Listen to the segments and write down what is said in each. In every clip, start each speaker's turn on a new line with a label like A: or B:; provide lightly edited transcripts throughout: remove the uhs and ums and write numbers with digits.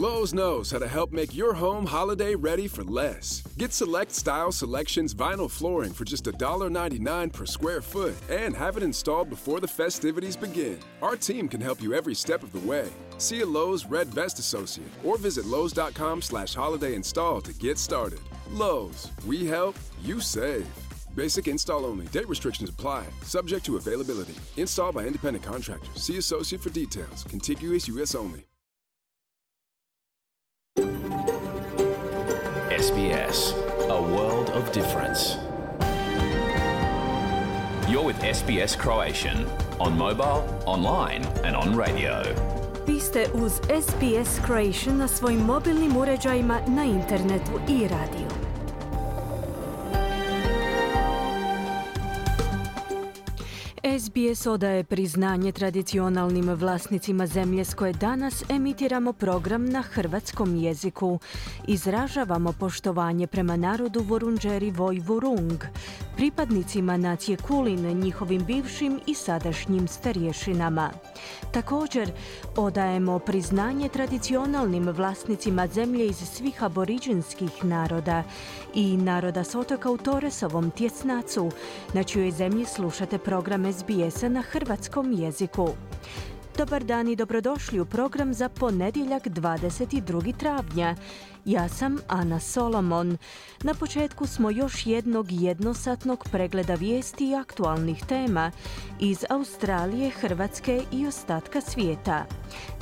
A: Lowe's knows how to help make your home holiday ready for less. Get Select Style Selections vinyl flooring for just $1.99 per square foot and have it installed before the festivities begin. Our team can help you every step of the way. See a Lowe's Red Vest associate or visit Lowe's.com/holiday install to get started. Lowe's, we help, you save. Basic install only. Date restrictions apply. Subject to availability. Installed by independent contractors. See associate for details. Contiguous U.S. only.
B: SBS, a world of difference. You're with SBS Croatian on mobile, online and on radio.
C: Vi ste uz SBS Croatian na svojim mobilnim uređajima, na internetu i radiju. SBS odaje priznanje tradicionalnim vlasnicima zemlje s koje danas emitiramo program na hrvatskom jeziku. Izražavamo poštovanje prema narodu Vorundžeri Voj Vurung, pripadnicima nacije Kulin, njihovim bivšim i sadašnjim starješinama. Također, odajemo priznanje tradicionalnim vlasnicima zemlje iz svih aboriđinskih naroda i naroda s otoka u Toresovom tjesnacu, na čijoj zemlji slušate program SBS-a na hrvatskom jeziku. Dobar dan i dobrodošli u program za ponedjeljak 22. travnja. Ja sam Ana Solomon. Na početku smo još jednog jednosatnog pregleda vijesti i aktualnih tema iz Australije, Hrvatske i ostatka svijeta.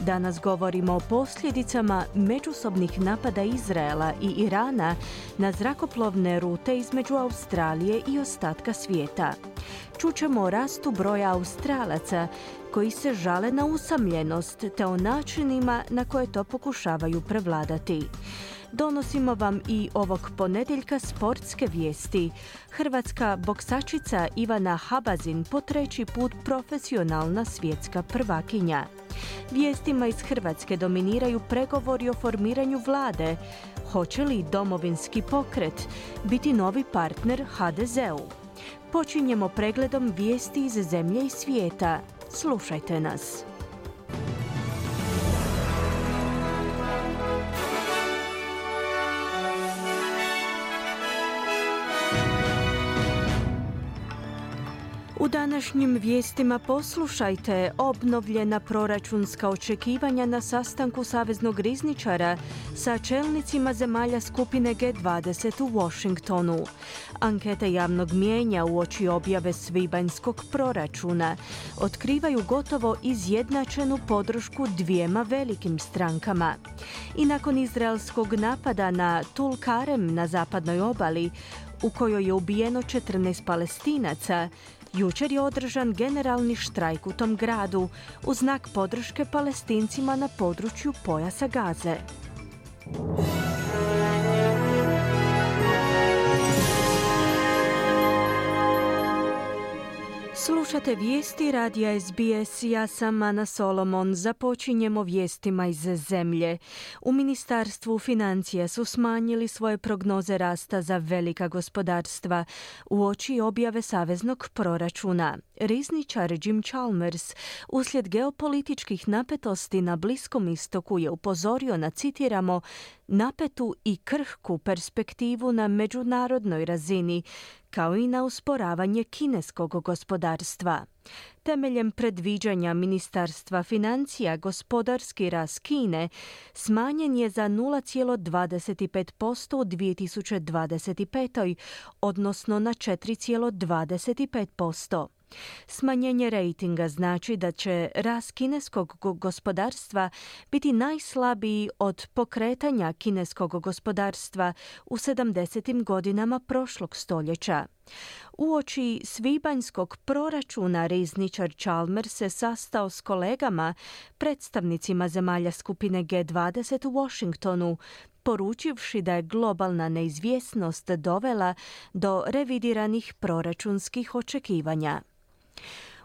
C: Danas govorimo o posljedicama međusobnih napada Izraela i Irana na zrakoplovne rute između Australije i ostatka svijeta. Čućemo o rastu broja Australaca koji se žale na usamljenost te o načinima na koje to pokušavaju prevladati. Donosimo vam i ovog ponedjeljka sportske vijesti. Hrvatska boksačica Ivana Habazin po treći put profesionalna svjetska prvakinja. Vijestima iz Hrvatske dominiraju pregovori o formiranju vlade. Hoće li Domovinski pokret biti novi partner HDZ-u? Počinjemo pregledom vijesti iz zemlje i svijeta. Slušajte nas. U današnjim vijestima poslušajte obnovljena proračunska očekivanja na sastanku saveznog rizničara sa čelnicima zemalja skupine G20 u Washingtonu. Ankete javnog mijenja uoči objave svibanjskog proračuna otkrivaju gotovo izjednačenu podršku dvijema velikim strankama. I nakon izraelskog napada na Tulkarem na zapadnoj obali, u kojoj je ubijeno 14 Palestinaca, jučer je održan generalni štrajk u tom gradu u znak podrške Palestincima na području pojasa Gaze. Slušate vijesti radija SBS, ja sam Ana Solomon. Započinjemo vijestima iz zemlje. U Ministarstvu financija su smanjili svoje prognoze rasta za velika gospodarstva uoči objave saveznog proračuna. Rizničar Jim Chalmers uslijed geopolitičkih napetosti na Bliskom istoku je upozorio na, citiramo, napetu i krhku perspektivu na međunarodnoj razini, kao i na usporavanje kineskog gospodarstva. Temeljem predviđanja Ministarstva financija, gospodarski rast Kine smanjen je za 0,25% u 2025. odnosno na 4,25%. Smanjenje rejtinga znači da će rast kineskog gospodarstva biti najslabiji od pokretanja kineskog gospodarstva u 70. godinama prošlog stoljeća. Uoči svibanjskog proračuna rizničar Chalmers se sastao s kolegama, predstavnicima zemalja skupine G20 u Washingtonu, poručivši da je globalna neizvjesnost dovela do revidiranih proračunskih očekivanja.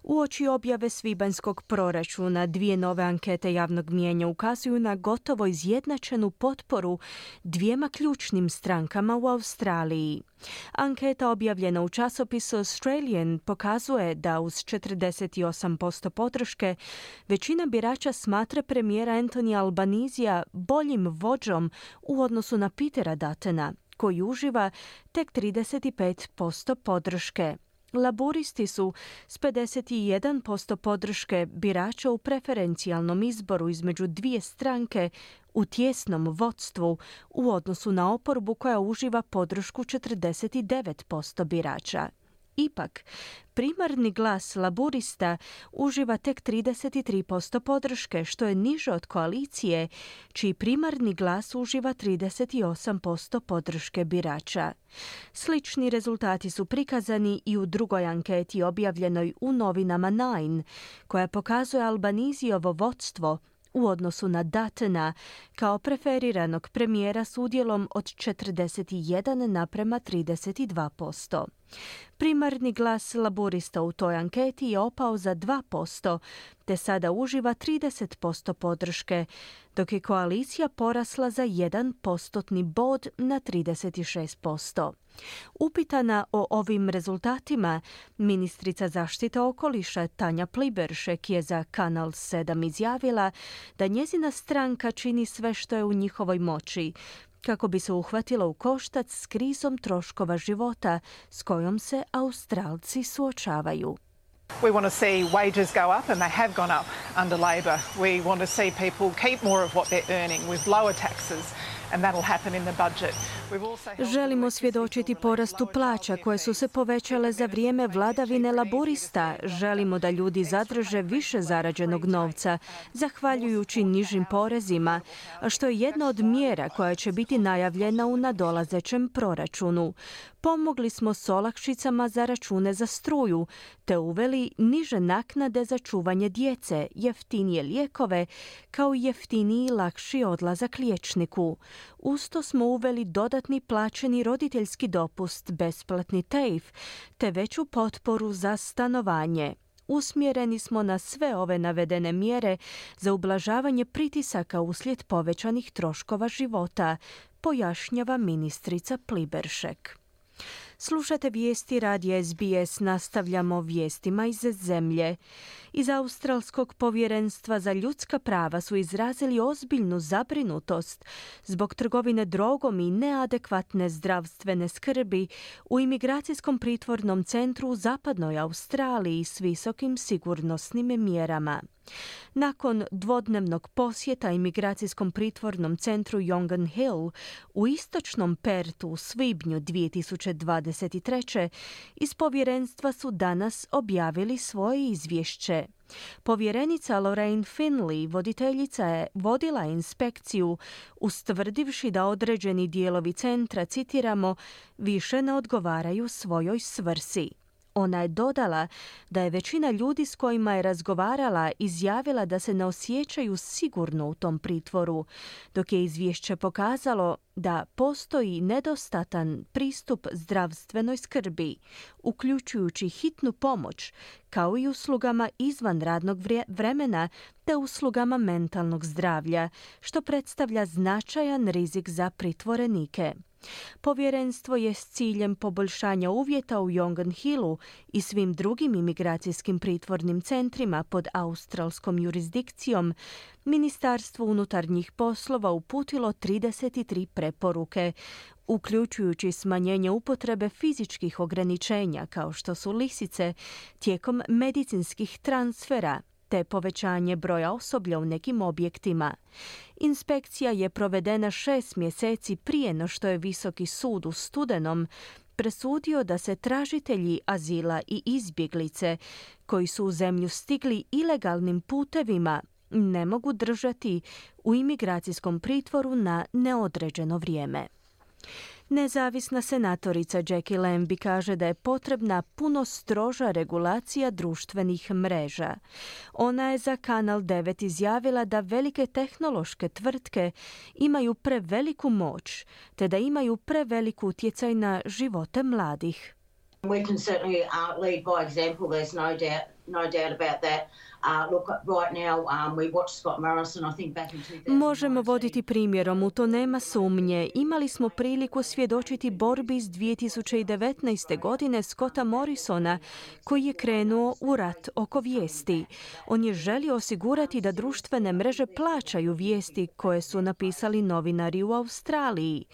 C: Uoči objave svibanjskog proračuna, 2 nove ankete javnog mijenja ukazuju na gotovo izjednačenu potporu 2 ključnim strankama u Australiji. Anketa objavljena u časopisu Australian pokazuje da uz 48% podrške većina birača smatra premijera Anthony Albanesija boljim vođom u odnosu na Petera Duttona, koji uživa tek 35% podrške. Laburisti su s 51% podrške birača u preferencijalnom izboru između 2 stranke u tjesnom vodstvu u odnosu na oporbu koja uživa podršku 49% birača. Ipak, primarni glas laburista uživa tek 33% podrške, što je niže od koalicije, čiji primarni glas uživa 38% podrške birača. Slični rezultati su prikazani i u drugoj anketi objavljenoj u novinama Nine, koja pokazuje Albanezijevo vodstvo u odnosu na Duttona kao preferiranog premijera s udjelom od 41:32%. Primarni glas laburista u toj anketi je opao za 2%, te sada uživa 30% podrške, dok je koalicija porasla za 1% bod na 36%. Upitana o ovim rezultatima, ministrica zaštite okoliša Tanja Pliberšek je za Kanal 7 izjavila da njezina stranka čini sve što je u njihovoj moći kako bi se uhvatila u koštac s krizom troškova života s kojom se Australci suočavaju.
D: We want to see wages go up, and they have gone up under Labor. We want to see people keep more of what they're earning with lower taxes, and that'll happen in the budget.
C: Želimo svjedočiti porastu plaća koje su se povećale za vrijeme vladavine laburista. Želimo da ljudi zadrže više zarađenog novca, zahvaljujući nižim porezima, što je jedna od mjera koja će biti najavljena u nadolazećem proračunu. Pomogli smo s olakšicama za račune za struju, te uveli niže naknade za čuvanje djece, jeftinije lijekove, kao i jeftiniji i lakši odlazak liječniku. Uz to smo uveli dodatni plaćeni roditeljski dopust, besplatni TAFE, te veću potporu za stanovanje. Usmjereni smo na sve ove navedene mjere za ublažavanje pritisaka uslijed povećanih troškova života, pojašnjava ministrica Pliberšek. Slušate vijesti radija SBS, nastavljamo vijestima iz zemlje. Iz Australskog povjerenstva za ljudska prava su izrazili ozbiljnu zabrinutost zbog trgovine drogom i neadekvatne zdravstvene skrbi u imigracijskom pritvornom centru u zapadnoj Australiji s visokim sigurnosnim mjerama. Nakon dvodnevnog posjeta imigracijskom pritvornom centru Yongan Hill u istočnom Pertu u svibnju 2023. iz povjerenstva su danas objavili svoje izvješće. Povjerenica Lorraine Finley vodila inspekciju ustvrdivši da određeni dijelovi centra, citiramo, više ne odgovaraju svojoj svrsi. Ona je dodala da je većina ljudi s kojima je razgovarala izjavila da se ne osjećaju sigurno u tom pritvoru, dok je izvješće pokazalo da postoji nedostatan pristup zdravstvenoj skrbi, uključujući hitnu pomoć, kao i uslugama izvan radnog vremena te uslugama mentalnog zdravlja, što predstavlja značajan rizik za pritvorenike. Povjerenstvo je s ciljem poboljšanja uvjeta u Yongan Hillu i svim drugim imigracijskim pritvornim centrima pod australskom jurisdikcijom Ministarstvo unutarnjih poslova uputilo 33 preporuke, uključujući smanjenje upotrebe fizičkih ograničenja kao što su lisice tijekom medicinskih transfera, te povećanje broja osoblja u nekim objektima. Inspekcija je provedena 6 mjeseci prije no što je Visoki sud u studenom presudio da se tražitelji azila i izbjeglice koji su u zemlju stigli ilegalnim putevima ne mogu držati u imigracijskom pritvoru na neodređeno vrijeme. Nezavisna senatorica Jackie Lambie kaže da je potrebna puno stroža regulacija društvenih mreža. Ona je za Kanal 9 izjavila da velike tehnološke tvrtke imaju preveliku moć, te da imaju prevelik utjecaj na živote mladih.
E: We can certainly lead by example. There's no doubt no doubt about that. Look, right now we watched Scott Morrison, I think back in 2019.
C: Možemo voditi primjerom, u to nema sumnje. Imali smo priliku svjedočiti borbi iz 2019. godine Scotta Morrisona, koji je krenuo u rat oko vijesti. On je želio osigurati da društvene mreže plaćaju vijesti koje su napisali novinari u Australiji.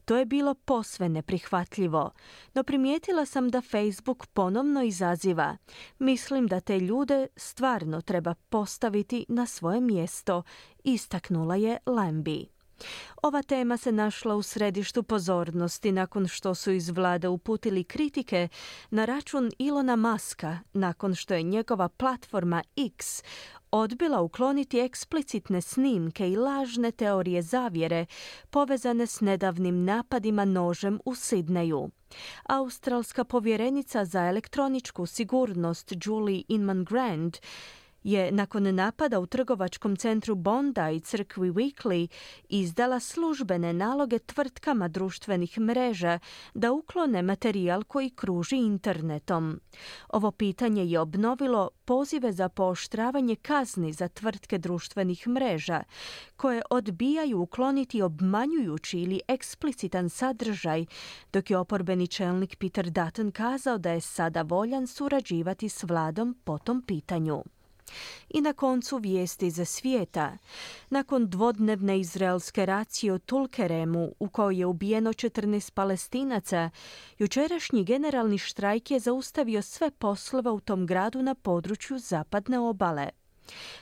C: To je bilo posve neprihvatljivo. No primijetila sam da Facebook ponovno izaziva. Mislim da te ljude stvarno treba postaviti na svoje mjesto, istaknula je Lambie. Ova tema se našla u središtu pozornosti nakon što su iz vlade uputili kritike na račun Elona Muska, nakon što je njegova platforma X odbila ukloniti eksplicitne snimke i lažne teorije zavjere povezane s nedavnim napadima nožem u Sidneju. Australska povjerenica za elektroničku sigurnost Julie Inman-Grant je nakon napada u trgovačkom centru Bondi i crkvi Weekly izdala službene naloge tvrtkama društvenih mreža da uklone materijal koji kruži internetom. Ovo pitanje je obnovilo pozive za pooštravanje kazni za tvrtke društvenih mreža, koje odbijaju ukloniti obmanjujući ili eksplicitan sadržaj, dok je oporbeni čelnik Peter Dutton kazao da je sada voljan surađivati s vladom po tom pitanju. I na koncu vijesti za svijeta. Nakon dvodnevne izraelske racije u Tulkeremu, u kojoj je ubijeno 14 Palestinaca, jučerašnji generalni štrajk je zaustavio sve poslove u tom gradu na području zapadne obale.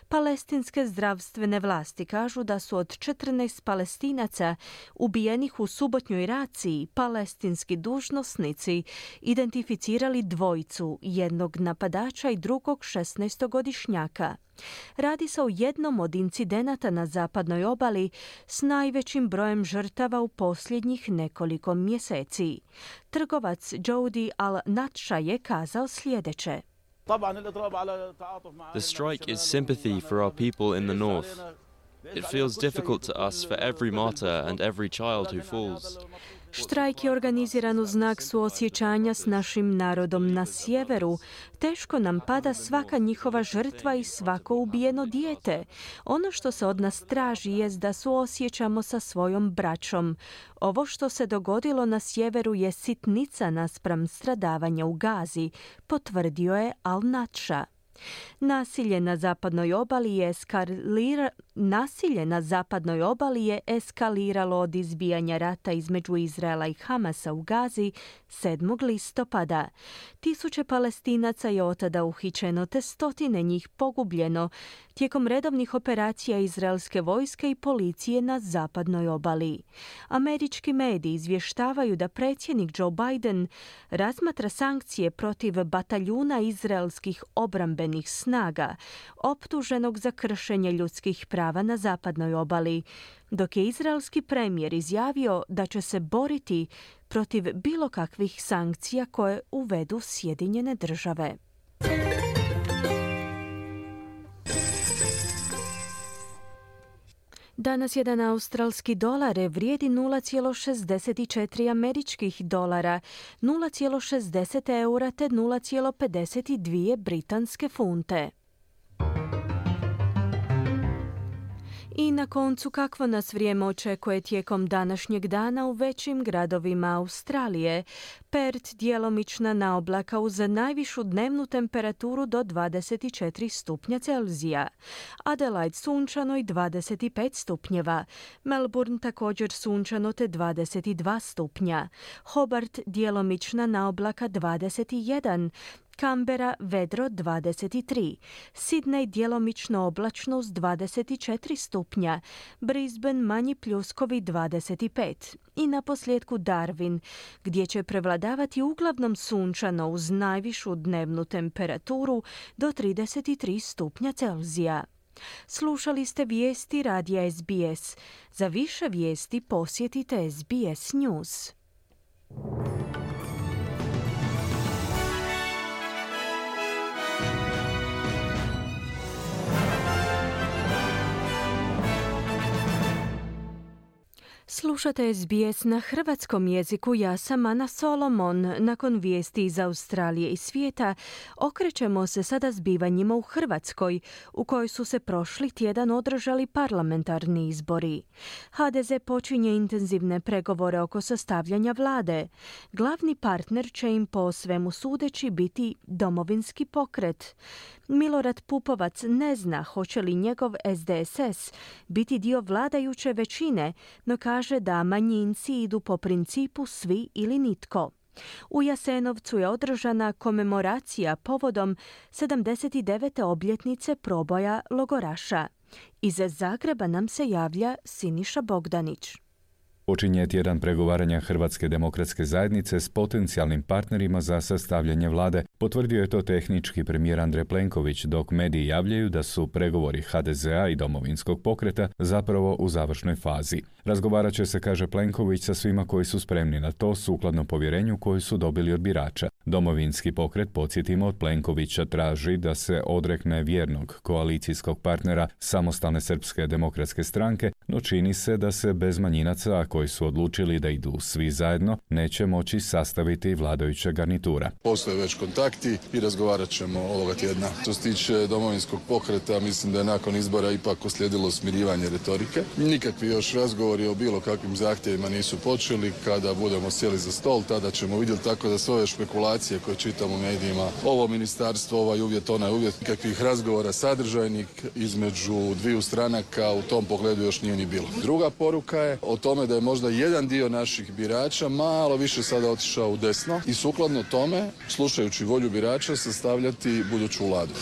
C: Palestinske zdravstvene vlasti kažu da su od 14 Palestinaca ubijenih u subotnjoj raciji palestinski dužnosnici identificirali dvojicu, jednog napadača i drugog 16-godišnjaka. Radi se o jednom od incidenata na zapadnoj obali s najvećim brojem žrtava u posljednjih nekoliko mjeseci. Trgovac Jody Al-Natsha je kazao sljedeće.
F: The strike is sympathy for our people in the north. It feels difficult to us for every martyr and every child who falls.
C: Štrajk je organiziran u znak suosjećanja s našim narodom na sjeveru. Teško nam pada svaka njihova žrtva i svako ubijeno dijete. Ono što se od nas traži jest da suosjećamo sa svojom braćom. Ovo što se dogodilo na sjeveru je sitnica naspram stradavanja u Gazi, potvrdio je Al-Natsha. Nasilje na zapadnoj obali je eskaliralo od izbijanja rata između Izraela i Hamasa u Gazi 7. listopada. Tisuće Palestinaca je otada uhićeno te stotine njih pogubljeno tijekom redovnih operacija izraelske vojske i policije na zapadnoj obali. Američki mediji izvještavaju da predsjednik Joe Biden razmatra sankcije protiv bataljuna izraelskih obrambenih snaga, optuženog za kršenje ljudskih prava na zapadnoj obali, dok je izraelski premijer izjavio da će se boriti protiv bilo kakvih sankcija koje uvedu Sjedinjene države. Danas jedan australski dolar vrijedi 0,64 američkih dolara, 0,60 eura te 0,52 britanske funte. I na koncu, kakvo nas vrijeme očekuje tijekom današnjeg dana u većim gradovima Australije. Perth djelomična naoblaka uz najvišu dnevnu temperaturu do 24 stupnja Celzija. Adelaide sunčano i 25 stupnjeva. Melbourne također sunčano te 22 stupnja. Hobart djelomična naoblaka 21. Canberra vedro 23, Sydney djelomično oblačno uz 24 stupnja, Brisbane manji pljuskovi 25 i naposljetku Darwin, gdje će prevladavati uglavnom sunčano uz najvišu dnevnu temperaturu do 33 stupnja Celzija. Slušali ste vijesti radija SBS. Za više vijesti posjetite SBS News. Slušate SBS na hrvatskom jeziku, ja sam Ana Solomon. Nakon vijesti iz Australije i svijeta, okrećemo se sada zbivanjima u Hrvatskoj, u kojoj su se prošli tjedan održali parlamentarni izbori. HDZ počinje intenzivne pregovore oko sastavljanja vlade. Glavni partner će im po svemu sudeći biti Domovinski pokret. Milorad Pupovac ne zna hoće li njegov SDSS biti dio vladajuće većine, no kaže da manjinci idu po principu svi ili nitko. U Jasenovcu je održana komemoracija povodom 79. obljetnice proboja logoraša. Iz Zagreba nam se javlja Siniša Bogdanić.
G: Počinje tjedan pregovaranja Hrvatske demokratske zajednice s potencijalnim partnerima za sastavljanje vlade. Potvrdio je to tehnički premijer Andrej Plenković, dok mediji javljaju da su pregovori HDZ-a i Domovinskog pokreta zapravo u završnoj fazi. Razgovarat će se, kaže Plenković, sa svima koji su spremni na to sukladno povjerenju koju su dobili od birača. Domovinski pokret, podsjetimo, od Plenkovića traži da se odrekne vjernog koalicijskog partnera Samostalne srpske demokratske stranke, no čini se da se bez manjinaca, koji su odlučili da idu svi zajedno, neće moći sastaviti vladajuća garnitura.
H: Postoje već kontakti i razgovarat ćemo ovoga tjedna. Što se tiče Domovinskog pokreta, mislim da je nakon izbora ipak uslijedilo smirivanje retorike. Nikakvi još razgovori o bilo kakvim zahtjevima nisu počeli. Kada budemo sjeli za stol, tada ćemo vidjeti, tako da sve ove špekulacije koje čitam u medijima, ovo ministarstvo, ovaj uvjet, onaj uvjet, nikakvih razgovora sadržajnih između dviju stranaka u tom pogledu još nije ni bilo. Druga poruka je o tome da je možda jedan dio naših birača malo više sada otišao u desno i sukladno tome, slušajući volju birača, sastavljati buduću vladu.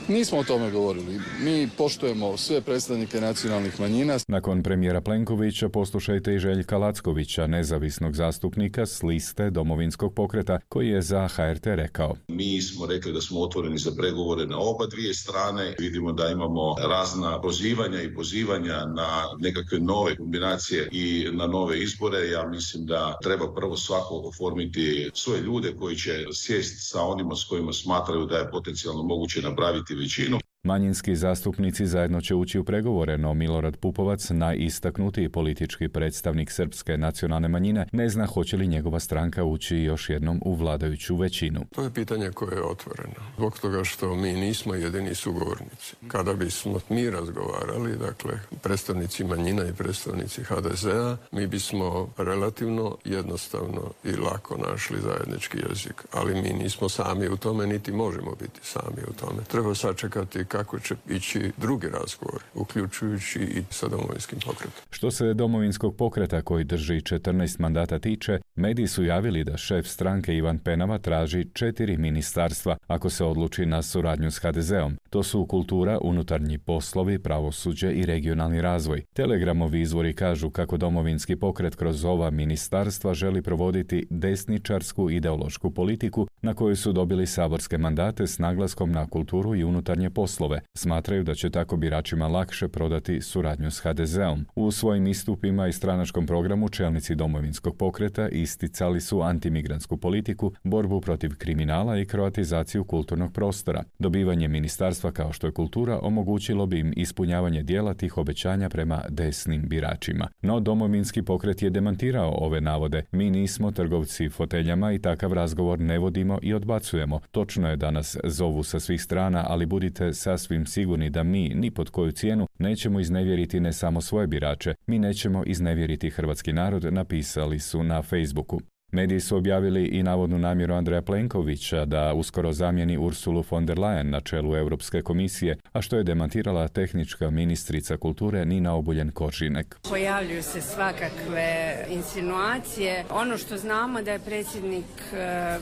H: Nismo o tome govorili. Mi poštujemo sve predstavnike nacionalnih manjina.
G: Nakon premijera Plenkovića poslušajte i Željka Lackovića, nezavisnog zastupnika s liste Domovinskog pokreta, koji je za HRT rekao:
I: Mi smo rekli da smo otvoreni za pregovore na oba dvije strane. Vidimo da imamo razna prozivanja i pozivanja na nekakve nove kombinacije i na nove izbore. Ja mislim da treba prvo svako oformiti svoje ljude koji će sjesti sa onima s kojima smatraju da je potencijalno moguće napraviti većinu.
G: Manjinski zastupnici zajedno će ući u pregovore, no Milorad Pupovac, najistaknutiji politički predstavnik srpske nacionalne manjine, ne zna hoće li njegova stranka ući još jednom u vladajuću većinu.
J: To je pitanje koje je otvoreno. Zbog toga što mi nismo jedini sugovornici. Kada bismo mi razgovarali, dakle, predstavnici manjina i predstavnici HDZ-a, mi bismo relativno jednostavno i lako našli zajednički jezik. Ali mi nismo sami u tome, niti možemo biti sami u tome. Treba sačekati kako će ići drugi razgovor, uključujući i sa Domovinskim pokretom.
G: Što se Domovinskog pokreta, koji drži 14 mandata, tiče, mediji su javili da šef stranke Ivan Penava traži 4 ministarstva ako se odluči na suradnju s HDZ-om. To su kultura, unutarnji poslovi, pravosuđe i regionalni razvoj. Telegramovi izvori kažu kako Domovinski pokret kroz ova ministarstva želi provoditi desničarsku ideološku politiku na koju su dobili saborske mandate s naglaskom na kulturu i unutarnje poslove. Smatraju da će tako biračima lakše prodati suradnju s HDZ-om. U svojim istupima i stranačkom programu čelnici Domovinskog pokreta isticali su antimigrantsku politiku, borbu protiv kriminala i kroatizaciju kulturnog prostora. Dobivanje ministarstva kao što je kultura omogućilo bi im ispunjavanje dijela tih obećanja prema desnim biračima. No Domovinski pokret je demantirao ove navode. Mi nismo trgovci foteljama i takav razgovor ne vodimo i odbacujemo. Točno je da nas zovu sa svih strana, ali budite sasvim sigurni da mi, ni pod koju cijenu, nećemo iznevjeriti ne samo svoje birače, mi nećemo iznevjeriti hrvatski narod, napisali su na Facebooku. Mediji su objavili i navodnu namjeru Andreja Plenkovića da uskoro zamijeni Ursulu von der Leyen na čelu Europske komisije, a što je demantirala tehnička ministrica kulture Nina Obuljen-Koržinek.
K: Pojavljuju se svakakve insinuacije. Ono što znamo da je predsjednik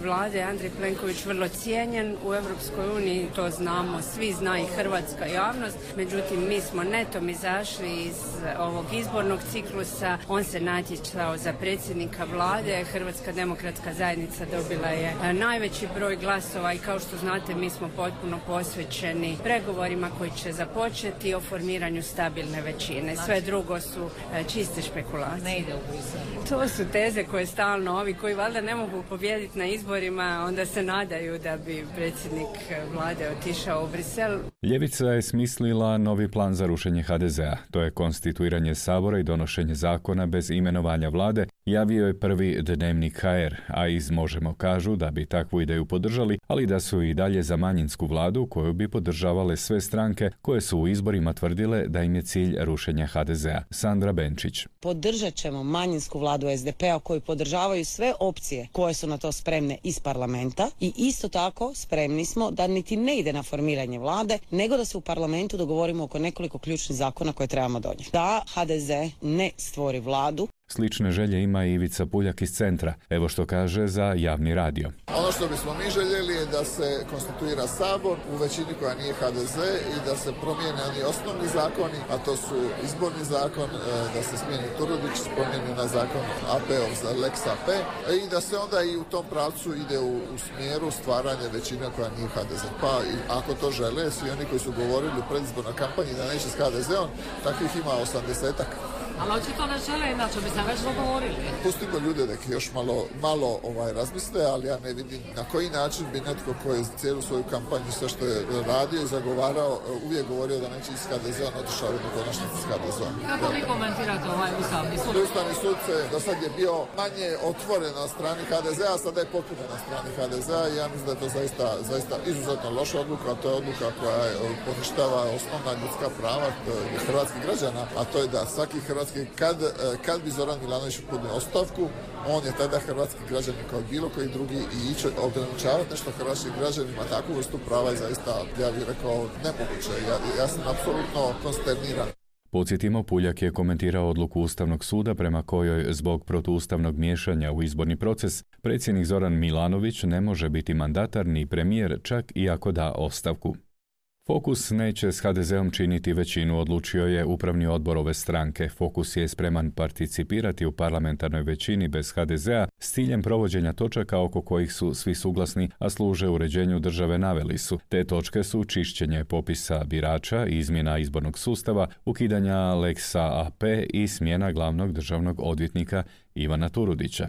K: vlade Andrej Plenković vrlo cijenjen u Europskoj uniji, to znamo, svi zna i hrvatska javnost. Međutim, mi smo netom izašli iz ovog izbornog ciklusa. On se natjecao za predsjednika vlade. Hrvatska Hrvatska demokratska zajednica dobila je najveći broj glasova i kao što znate mi smo potpuno posvećeni pregovorima koji će započeti o formiranju stabilne većine. Sve drugo su čiste špekulacije.
L: Ne ide u Brisel.
K: To su teze koje stalno ovi koji valjda ne mogu pobijediti na izborima, onda se nadaju da bi predsjednik vlade otišao u Brisel.
G: Ljevica je smislila novi plan za rušenje HDZ-a. To je konstituiranje Sabora i donošenje zakona bez imenovanja vlade, javio je prvi dnevnik HR, a iz Možemo kažu da bi takvu ideju podržali, ali da su i dalje za manjinsku vladu koju bi podržavale sve stranke koje su u izborima tvrdile da im je cilj rušenja HDZ-a. Sandra Benčić.
M: Podržat ćemo manjinsku vladu SDP-a koju podržavaju sve opcije koje su na to spremne iz parlamenta i isto tako spremni smo da niti ne ide na formiranje vlade, nego da se u parlamentu dogovorimo oko nekoliko ključnih zakona koje trebamo donijeti. Da HDZ ne stvori vladu.
G: Slične želje ima i Ivica Puljak iz Centra. Evo što kaže za javni radio.
N: Ono što bismo mi željeli je da se konstituira Sabor u većini koja nije HDZ i da se promijene oni osnovni zakoni, a to su izborni zakon, da se smijeni Turudić, promijeni na zakon AP-ov za Lex AP i da se onda i u tom pravcu ide u smjeru stvaranja većine koja nije HDZ. Pa ako to žele, svi oni koji su govorili u predizbornoj kampanji da neće s HDZ-om, takvih ima 80-ak.
L: Ali očito ne žele, inače bi se već dogovorili.
N: Pustimo ljude da još malo razmisle, ali ja ne vidim na koji način bi netko koji je cijelu svoju kampanju, sve što je radio i zagovarao, uvijek govorio da neće iz HDZ-a, otišao u konačnici s HDZ-om.
L: Kako vi komentirate ovaj Ustavni sud?
N: Ustavni sud do sad je bio manje otvoren na strani HDZ-a, a sada je potpuno na strani HDZ-a i ja mislim da je to zaista izuzetno loša odluka, a to je odluka koja poništava osnovna ljudska prava hrvatskih građana, a to je da svaki hrvatski kad bi Zoran Milanović podnio ostavku, on je tada hrvatski građanin kao bilo koji drugi i ići ograničavati nešto hrvatskim građanima, takvu vrstu prava je zaista, ja bih rekao, nemoguće. Ja sam apsolutno konsterniran.
G: Podsjetimo, Puljak je komentirao odluku Ustavnog suda prema kojoj zbog protuustavnog miješanja u izborni proces predsjednik Zoran Milanović ne može biti mandatar ni premijer čak i ako da ostavku. Fokus neće s HDZ-om činiti većinu, odlučio je upravni odbor ove stranke. Fokus je spreman participirati u parlamentarnoj većini bez HDZ-a s ciljem provođenja točaka oko kojih su svi suglasni, a služe uređenju države, naveli su. Te točke su čišćenje popisa birača, izmjena izbornog sustava, ukidanja Lexa AP i smjena glavnog državnog odvjetnika Ivana Turudića.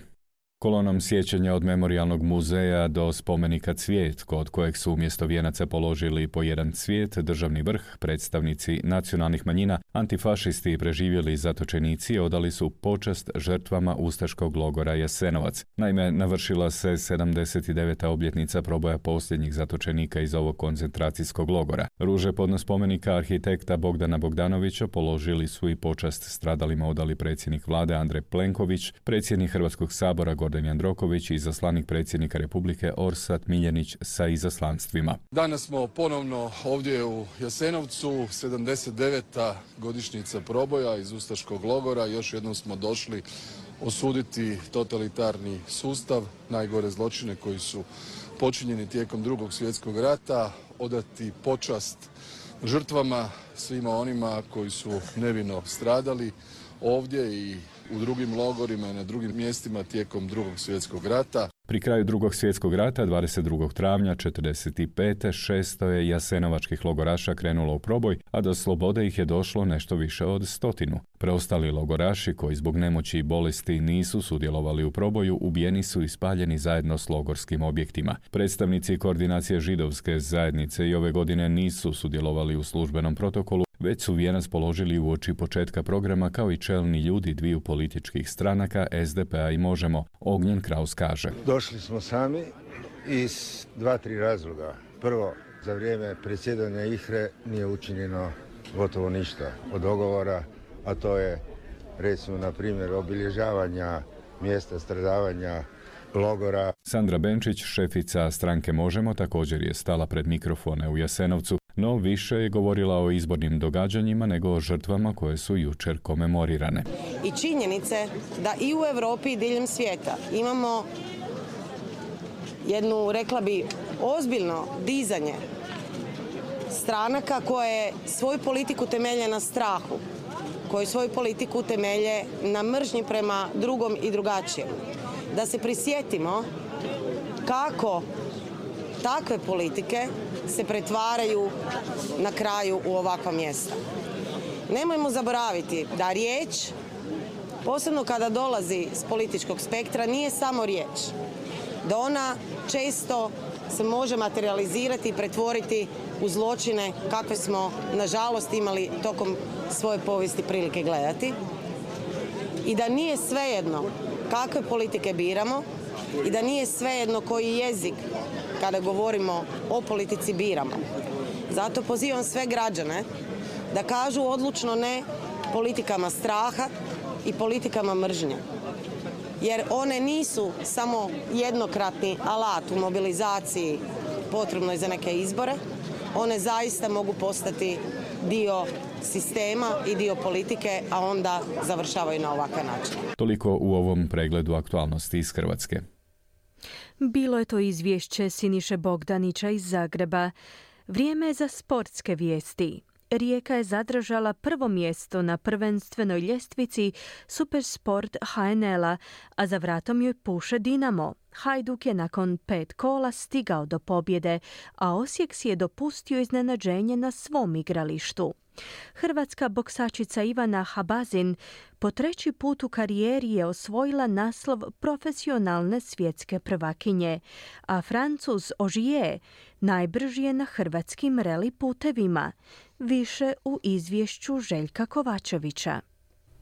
G: Kolonom sjećanja od Memorijalnog muzeja do spomenika Cvijet, kod kojeg su umjesto vijenaca položili po jedan cvijet, državni vrh, predstavnici nacionalnih manjina, antifašisti i preživjeli zatočenici odali su počast žrtvama ustaškog logora Jasenovac. Naime, navršila se 79. obljetnica proboja posljednjih zatočenika iz ovog koncentracijskog logora. Ruže podno spomenika arhitekta Bogdana Bogdanovića položili su i počast stradalima odali predsjednik vlade Andrej Plenković, predsjednik Hrvatskog sabora Gordan Jandroković i izaslanik predsjednika Republike Orsat Miljenić sa izaslanstvima.
H: Danas smo ponovno ovdje u Jasenovcu, 79. godišnjica proboja iz ustaškog logora. Još jednom smo došli osuditi totalitarni sustav, najgore zločine koji su počinjeni tijekom Drugog svjetskog rata, odati počast žrtvama, svima onima koji su nevino stradali ovdje i u drugim logorima i na drugim mjestima tijekom Drugog svjetskog rata.
G: Pri kraju Drugog svjetskog rata, 22. travnja 1945. 600 je jasenovačkih logoraša krenulo u proboj, a do slobode ih je došlo nešto više od 100. Preostali logoraši koji zbog nemoći i bolesti nisu sudjelovali u proboju, ubijeni su i spaljeni zajedno s logorskim objektima. Predstavnici koordinacije židovske zajednice i ove godine nisu sudjelovali u službenom protokolu, već su vijenac položili uoči početka programa kao i čelni ljudi dviju političkih stranaka, SDP-a i Možemo. Ognjen Kraus kaže.
O: Došli smo sami iz 2-3 razloga. Prvo, za vrijeme predsjedanja IHRA nije učinjeno gotovo ništa od dogovora, a to je, recimo, na primjer, obilježavanja mjesta stradavanja logora.
G: Sandra Benčić, šefica stranke Možemo, također je stala pred mikrofone u Jasenovcu, no više je govorila o izbornim događanjima nego o žrtvama koje su jučer komemorirane.
M: I činjenice da i u Europi i diljem svijeta imamo jednu, rekla bi, ozbiljno dizanje stranaka koje svoju politiku temelje na strahu, koji svoju politiku temelje na mržnji prema drugom i drugačijem. da se prisjetimo kako takve politike se pretvaraju na kraju u ovakva mjesta. Nemojmo zaboraviti da riječ, posebno kada dolazi s političkog spektra, nije samo riječ. Da ona često se može materializirati i pretvoriti u zločine kakve smo, nažalost, imali tokom svoje povijesti prilike gledati. I da nije svejedno kakve politike biramo i da nije svejedno koji jezik kada govorimo o politici biramo. Zato pozivam sve građane da kažu odlučno ne politikama straha i politikama mržnje. Jer one nisu samo jednokratni alat u mobilizaciji potrebnoj za neke izbore, one zaista mogu postati dio sistema i dio politike, a onda završavaju na ovakav način.
G: Toliko u ovom pregledu aktualnosti iz Hrvatske.
C: Bilo je to izvješće Siniše Bogdanića iz Zagreba. Vrijeme je za sportske vijesti. Rijeka je zadržala prvo mjesto na prvenstvenoj ljestvici Supersport HNL-a, a za vratom joj puše Dinamo. Hajduk je nakon 5 kola stigao do pobjede, a Osijek si je dopustio iznenađenje na svom igralištu. Hrvatska boksačica Ivana Habazin po 3. put u karijeri je osvojila naslov profesionalne svjetske prvakinje, a Francuz Ogier najbrži je na hrvatskim reli putevima. Više u izvješću Željka Kovačevića.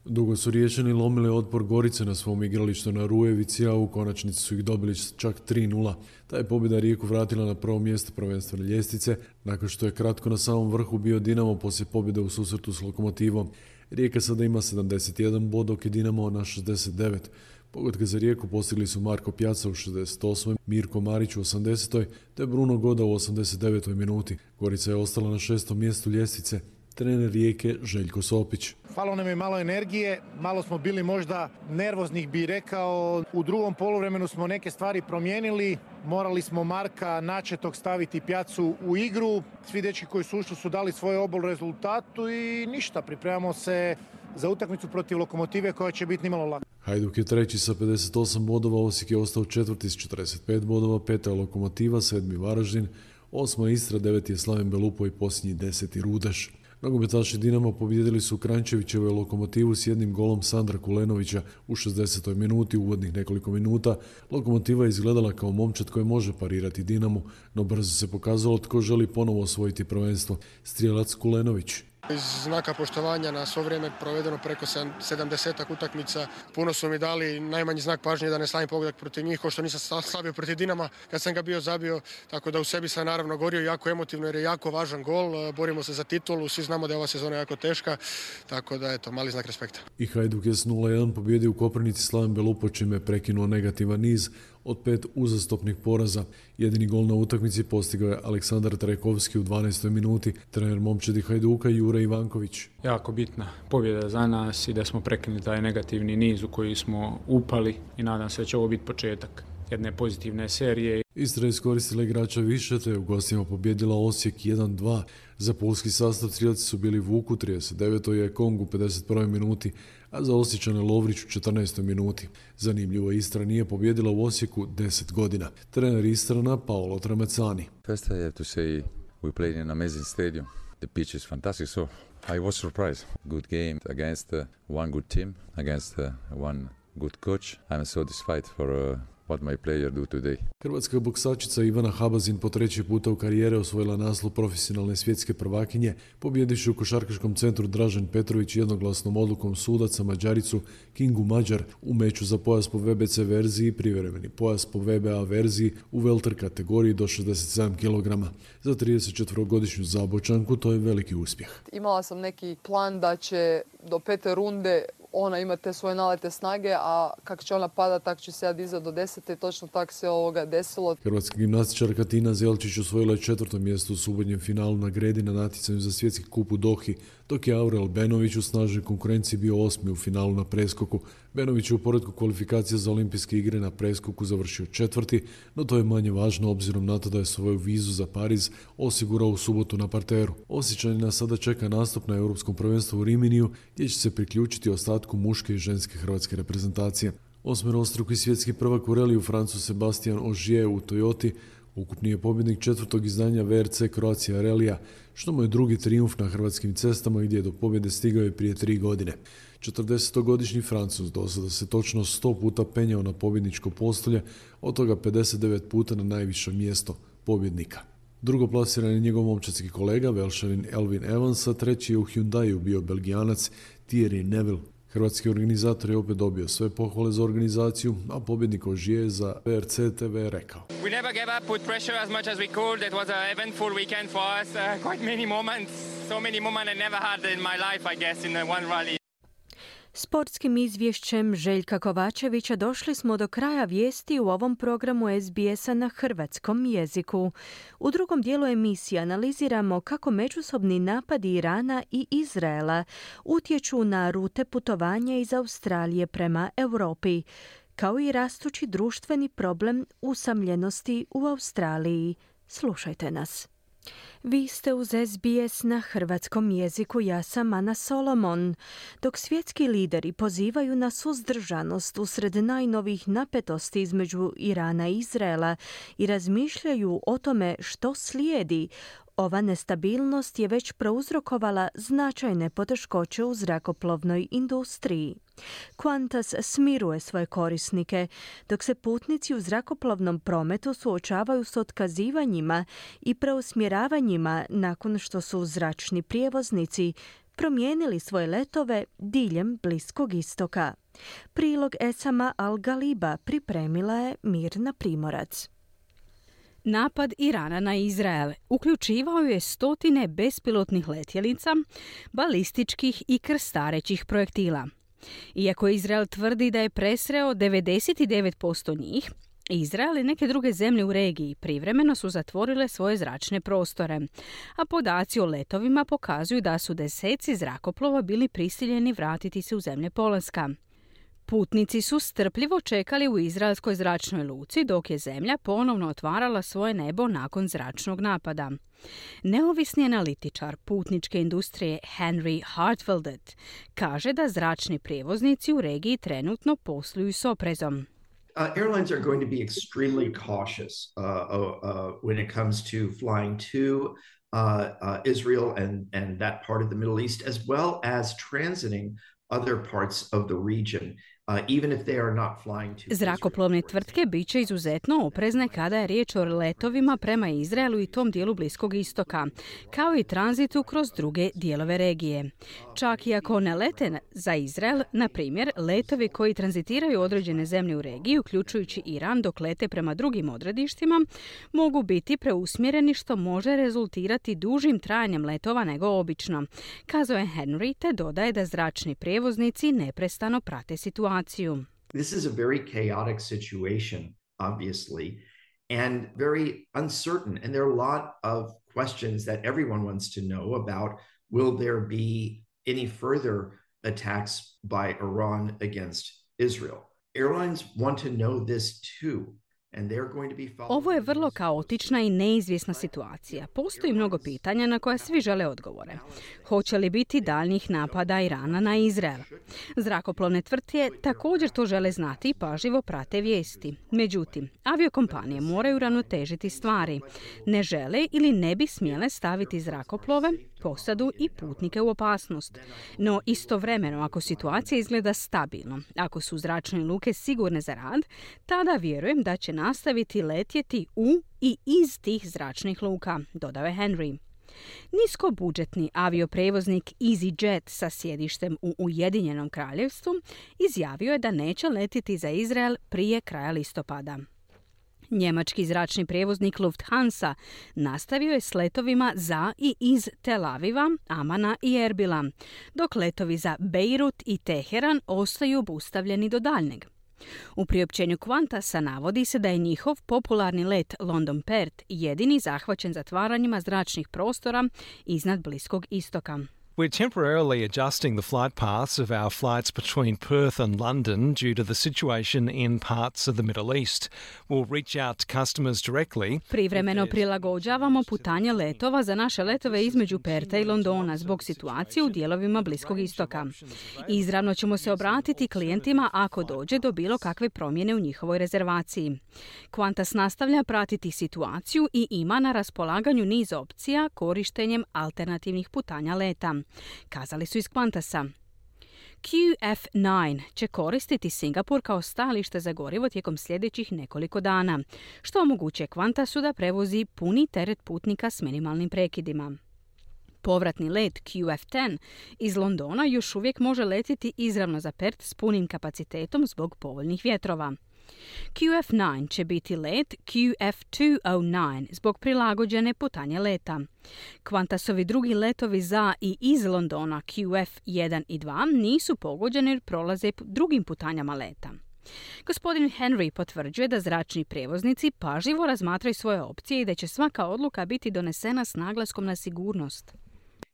P: Dugo su Riječani lomili otpor Gorice na svom igralištu na Rujevici, a u konačnici su ih dobili čak 3-0. Ta je pobjeda Rijeku vratila na prvo mjesto prvenstvene ljestvice, nakon što je kratko na samom vrhu bio Dinamo poslije pobjede u susretu s Lokomotivom. Rijeka sada ima 71 bod, dok je Dinamo na 69. Pogodke za Rijeku postigli su Marko Pjaca u 68. Mirko Marić u 80. te Bruno Goda u 89. minuti. Gorica je ostala na 6. mjestu ljestvice. Trener Rijeke Željko Sopić.
Q: Falo nam je malo energije, malo smo bili možda nervoznih, bi rekao. U drugom poluvremenu smo neke stvari promijenili. Morali smo Marka Načetog staviti Pjacu u igru. Svi dečki koji su ušli su dali svoj obol rezultatu i ništa. Pripremamo se za utakmicu protiv Lokomotive koja će biti nimalo laka.
P: Hajduk je treći sa 58 bodova, Osijek je ostao četvrti s 45 bodova, 5. je Lokomotiva, 7. Varaždin, 8. Istra, 9. je Slaven Belupo i posljednji 10. Rudeš. Nogometaši Dinama pobijedili su Kranjčevićevu Lokomotivu s jednim golom Sandra Kulenovića u 60. minuti, uvodnih nekoliko minuta. Lokomotiva je izgledala kao momčad koji može parirati Dinamu, no brzo se pokazalo tko želi ponovo osvojiti prvenstvo. Strijelac Kulenović.
R: Iz znaka poštovanja na svo vrijeme provedeno preko 70 utakmica. Puno su mi dali, najmanji znak pažnje da ne slavim pogodak protiv njih, ko što nisam slavio protiv Dinama kad sam ga bio zabio, tako da u sebi sam naravno gorio jako emotivno jer je jako važan gol, borimo se za titulu, svi znamo da je ova sezona jako teška, tako da eto, mali znak respekta.
P: I Hajduk je s 0-1 pobjedio u Koprivnici Slaven Belupo, čime je prekinuo negativan niz od 5 uzastopnih poraza. Jedini gol na utakmici postigao je Aleksandar Trajkovski u 12. minuti, trener momčadi Hajduka Jure Ivanković.
S: Jako bitna pobjeda za nas i da smo prekinuli taj negativni niz u koji smo upali i nadam se da će ovo biti početak jedne pozitivne serije.
P: Istra je iskoristila igrača više, te je u gostima pobjedila Osijek 1-2. Za pulski sastav strijelci su bili Vuk u 39. je Kong u 51. minuti, a za Osječane Lovrić u 14. minuti. Zanimljivo, Istra nije pobjedila u Osijeku 10 godina. Trener Istrana Paolo Tramecani.
T: First I have to say we played in an amazing stadium. The pitch is fantastic, so I was surprised. Good game against one good team, against one good coach. I'm satisfied for what my player do today.
P: Hrvatska boksačica Ivana Habazin po 3. puta u karijere osvojila naslov profesionalne svjetske prvakinje, pobjedivši u košarkaškom centru Dražen Petrović jednoglasnom odlukom sudaca Mađaricu Kingu Mađar u meču za pojas po VBC verziji i privremeni pojas po VBA verziji u welter kategoriji do 67 kg. Za 34-godišnju Zabočanku to je veliki uspjeh.
U: Imala sam neki plan da će do 5. runde ona ima te svoje nalete snage, a kako će ona pada, tako će se ja dizati do 10. i točno tako se ovoga desilo.
P: Hrvatska gimnastičarka Tina Zelčić osvojila je 4. mjesto u subotnjem finalu na gredi na natjecanju za svjetski kup u Dohi, dok je Aurel Benović u snažnoj konkurenciji bio 8. u finalu na preskoku. Benović je u poretku kvalifikacija za olimpijske igre na preskoku završio 4., no to je manje važno obzirom na to da je svoju vizu za Pariz osigurao u subotu na parteru. Osječanina sada čeka nastup na Europskom prvenstvu u Riminiju, gdje će se priključiti ostatku muške i ženske hrvatske reprezentacije. Osmerostruki svjetski prvak u reliju Francuz Sebastian Ogier u Toyoti ukupni je pobjednik 4. izdanja VRC Croatia relija, što mu je drugi trijumf na hrvatskim cestama gdje je do pobjede stigao je prije 3 godine. 40-godišnji Francuz do sada se točno 100 puta penjao na pobjedničko postolje, od toga 59 puta na najviše mjesto pobjednika. Drugoplasirani je njegov momčadski kolega, Velšanin Elvin Evans, a treći je u Hyundaiu bio Belgijanac Thierry Neville. Hrvatski organizator je opet dobio sve pohvale za organizaciju, a pobjednik Ogier za VRC TV je rekao:
A: We never gave up, put pressure as much as we could. It was an eventful weekend for us. Quite many moments, so many moments I never had in my life, I guess, in one rally.
C: Sportskim izvješćem Željka Kovačevića došli smo do kraja vijesti u ovom programu SBS-a na hrvatskom jeziku. U drugom dijelu emisije analiziramo kako međusobni napadi Irana i Izraela utječu na rute putovanja iz Australije prema Europi, kao i rastući društveni problem usamljenosti u Australiji. Slušajte nas. Vi ste uz SBS na hrvatskom jeziku, ja sam Ana Solomon. Dok svjetski lideri pozivaju na suzdržanost usred najnovijih napetosti između Irana i Izraela i razmišljaju o tome što slijedi, ova nestabilnost je već prouzrokovala značajne poteškoće u zrakoplovnoj industriji. Qantas smiruje svoje korisnike, dok se putnici u zrakoplovnom prometu suočavaju s otkazivanjima i preusmjeravanjima nakon što su zračni prijevoznici promijenili svoje letove diljem Bliskog istoka. Prilog Esama Al-Galiba pripremila je Mirna Primorac.
V: Napad Irana na Izrael uključivao je stotine bespilotnih letjelica, balističkih i krstarećih projektila. Iako Izrael tvrdi da je presreo 99% njih, Izrael i neke druge zemlje u regiji privremeno su zatvorile svoje zračne prostore, a podaci o letovima pokazuju da su deseci zrakoplova bili prisiljeni vratiti se u zemlje polaska. Putnici su strpljivo čekali u izraelskoj zračnoj luci dok je zemlja ponovno otvarala svoje nebo nakon zračnog napada. Neovisni analitičar putničke industrije Henry Hartfeldet kaže da zračni prijevoznici u regiji trenutno posluju s oprezom.
W: Airlines are going to be extremely cautious when it comes to flying to Israel and that part of the Middle East, as well as transiting other parts of the region. Even if they are not flying to
V: Zrakoplovne tvrtke bit će izuzetno oprezne kada je riječ o letovima prema Izraelu i tom dijelu Bliskog istoka, kao i tranzitu kroz druge dijelove regije. Čak i ako ne lete za Izrael, na primjer, letovi koji tranzitiraju određene zemlje u regiji, uključujući Iran dok lete prema drugim odredištima, mogu biti preusmjereni što može rezultirati dužim trajanjem letova nego obično, kazao je Henry, te dodaje da zračni prijevoznici neprestano prate situaciju.
W: This is a very chaotic situation, obviously, and very uncertain. And there are a lot of questions that everyone wants to know about. Will there be any further attacks by Iran against Israel? Airlines want to know this too.
V: Ovo je vrlo kaotična i neizvjesna situacija. Postoji mnogo pitanja na koja svi žele odgovore. Hoće li biti daljnjih napada Irana na Izrael? Zrakoplovne tvrtke također to žele znati i pažljivo prate vijesti. Međutim, aviokompanije moraju ravnotežiti stvari. Ne žele ili ne bi smjele staviti zrakoplove, posadu i putnike u opasnost. No istovremeno, ako situacija izgleda stabilno, ako su zračne luke sigurne za rad, tada vjerujem da će nastaviti letjeti u i iz tih zračnih luka, dodao je Henry. Niskobudžetni avioprevoznik EasyJet sa sjedištem u Ujedinjenom Kraljevstvu izjavio je da neće letjeti za Izrael prije kraja listopada. Njemački zračni prijevoznik Lufthansa nastavio je s letovima za i iz Tel Aviva, Amana i Erbila, dok letovi za Bejrut i Teheran ostaju obustavljeni do daljnjeg. U priopćenju Qantasa navodi se da je njihov popularni let London-Perth jedini zahvaćen zatvaranjima zračnih prostora iznad Bliskog istoka.
B: We're temporarily adjusting the flight paths of our flights between Perth and London due to the situation in parts of the Middle East. We'll reach out to customers directly.
V: Privremeno prilagođavamo putanje letova za naše letove između Perta i Londona zbog situacije u dijelovima Bliskog istoka. Izravno ćemo se obratiti klijentima ako dođe do bilo kakve promjene u njihovoj rezervaciji. Qantas nastavlja pratiti situaciju i ima na raspolaganju niz opcija korištenjem alternativnih putanja leta, kazali su iz Qantasa. QF9 će koristiti Singapur kao stajalište za gorivo tijekom sljedećih nekoliko dana, što omogućuje Qantasu da prevozi puni teret putnika s minimalnim prekidima. Povratni let QF10 iz Londona još uvijek može letjeti izravno za Perth s punim kapacitetom zbog povoljnih vjetrova. QF9 će biti let QF209 zbog prilagođene putanje leta. Qantasovi drugi letovi za i iz Londona QF1 i 2 nisu pogođeni jer prolaze drugim putanjama leta. Gospodin Henry potvrđuje da zračni prijevoznici pažljivo razmatraju svoje opcije i da će svaka odluka biti donesena s naglaskom na sigurnost.